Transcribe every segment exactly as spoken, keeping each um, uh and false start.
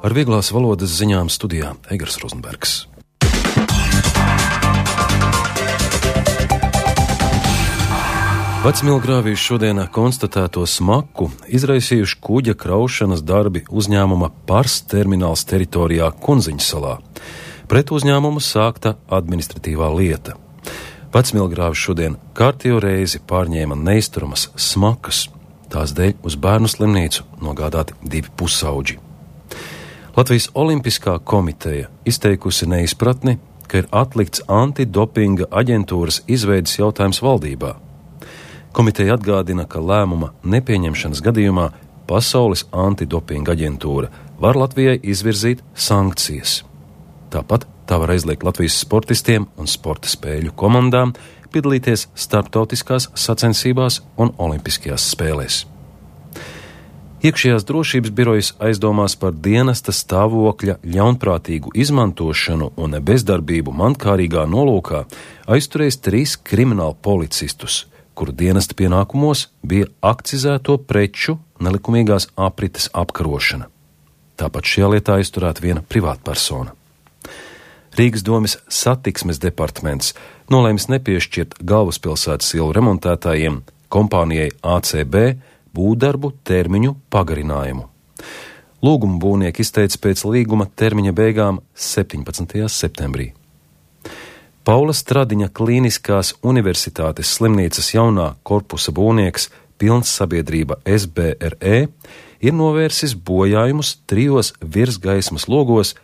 Ar vieglās valodas ziņām studijā Egars Rozenbergs. Vecmilgrāvī šodien konstatēto smaku izraisījuši kuģa kraušanas darbi uzņēmuma Pars termināls teritorijā Kunziņu salā. Pret uzņēmumu sākta administratīvā lieta. Vecmilgrāvi šodien kārtējo reizi pārņēma neizturamas smakas. Tās dēļ uz bērnu slimnīcu nogādāti divi pusauģi. Latvijas Olimpiskā komiteja izteikusi neizpratni, ka ir atlikts antidopinga aģentūras izveides jautājums valdībā. Komiteja atgādina, ka lēmuma nepieņemšanas gadījumā Pasaules antidopinga aģentūra var Latvijai izvirzīt sankcijas. Tāpat tā var aizliegt Latvijas sportistiem un sporta spēļu komandām piedalīties starptautiskās sacensībās un olimpiskajās spēlēs. Iekšējās drošības birojas aizdomās par dienesta stāvokļa ļaunprātīgu izmantošanu un bezdarbību mankārīgā nolūkā aizturējis trīs kriminālu policistus, kuru dienesta pienākumos bija akcizēto preču nelikumīgās aprites apkarošana. Tāpat šajā lietā aizturēta viena privātpersona. Rīgas domes satiksmes departaments nolēmis nepiešķirt galvaspilsētas ielu remontētājiem kompānijai A C B būvdarbu termiņu pagarinājumu. Lūgumu būvnieki izteica pēc līguma termiņa beigām septiņpadsmitajā septembrī. Paula Stradiņa Klīniskās universitātes slimnīcas jaunā korpusa būvnieks Pilns sabiedrība S B R E ir novērsis bojājumus trijos virsgaismas logos,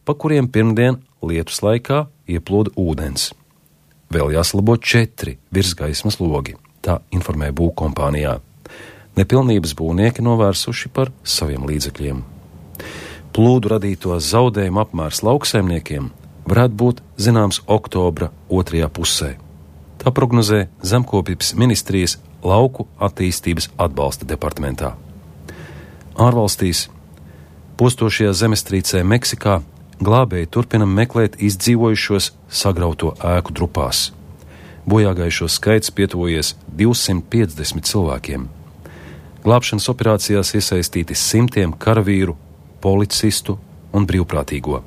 pa kuriem pirmdien lietus laikā ieplūda ūdens. Vēl jāsalabo četri virsgaismas logi, tā informē būvkompānijā. Nepilnības būvnieki novērsuši par saviem līdzekļiem. Plūdu radīto zaudējumu apmērs lauksaimniekiem varētu būt zināms oktobra otrajā pusē. Tā prognozē Zemkopības ministrijas lauku attīstības atbalsta departamentā. Ārvalstīs postošajā zemestrīcē Meksikā glābēji turpina meklēt izdzīvojušos sagrauto ēku drupās. Bojāgājušo skaits pietuvojies divsimt piecdesmit cilvēkiem. Glābšanas operācijās iesaistīti simtiem karavīru, policistu un brīvprātīgo.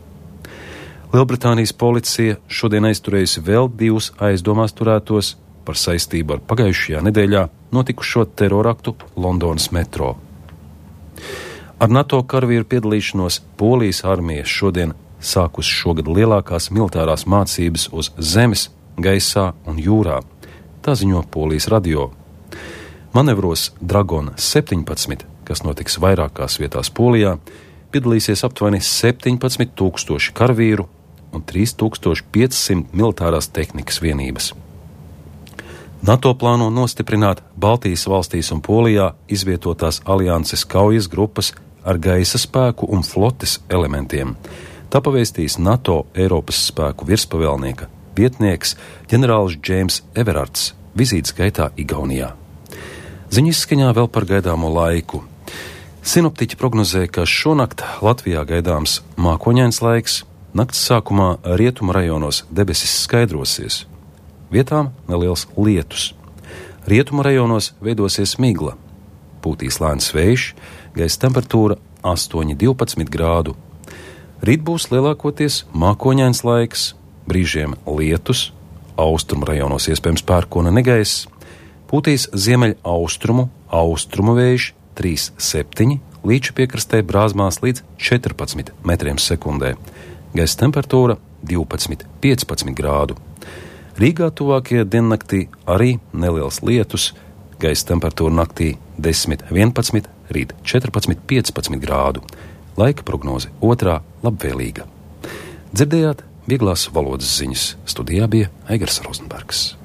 Lielbritānijas policija šodien aizturējusi vēl divus aizdomās turētos par saistību ar pagājušajā nedēļā notikušo teroraktu Londonas metro. Ar NATO karavīru piedalīšanos Polijas armija šodien sākus šogad lielākās militārās mācības uz zemes, gaisā un jūrā. Tā ziņo Polijas radio. Manevros Dragon septiņpadsmit, kas notiks vairākās vietās Polijā, piedalīsies aptuveni septiņpadsmit tūkstoši karavīru un trīs tūkstoši piecsimt militārās tehnikas vienības. NATO plāno nostiprināt Baltijas valstīs un Polijā izvietotās alianses kaujas grupas ar gaisa spēku un flotes elementiem. Tā pavēstīs NATO Eiropas spēku virspavēlnieka vietnieks ģenerālis Džeims Everards vizītes gaitā Igaunijā. Ziņu izskaņā vēl par gaidāmo laiku. Sinoptiķi prognozē, ka šonakt Latvijā gaidāms mākoņains laiks, nakts sākumā rietumu rajonos debesis skaidrosies. Vietām neliels lietus. Rietumu rajonos veidosies migla. Pūtīs lēns vējš, gaisa temperatūra astoņi līdz divpadsmit grādu. Rīt būs lielākoties mākoņains laiks, brīžiem lietus, austrumu rajonos iespējams pērkona negaiss. Pūtīs ziemeļ austrumu, austrumu vējš trīs septiņi, līča piekrastē brāzmās līdz četrpadsmit metriem sekundē. Gaisa temperatūra divpadsmit līdz piecpadsmit grādu. Rīgā tuvākajā diennaktī arī neliels lietus, gaisa temperatūra naktī desmit vienpadsmit, rīt četrpadsmit piecpadsmit grādu. Laika prognoze otrā labvēlīga. Dzirdējāt vieglās valodas ziņas. Studijā bija Egars Rozenbergs.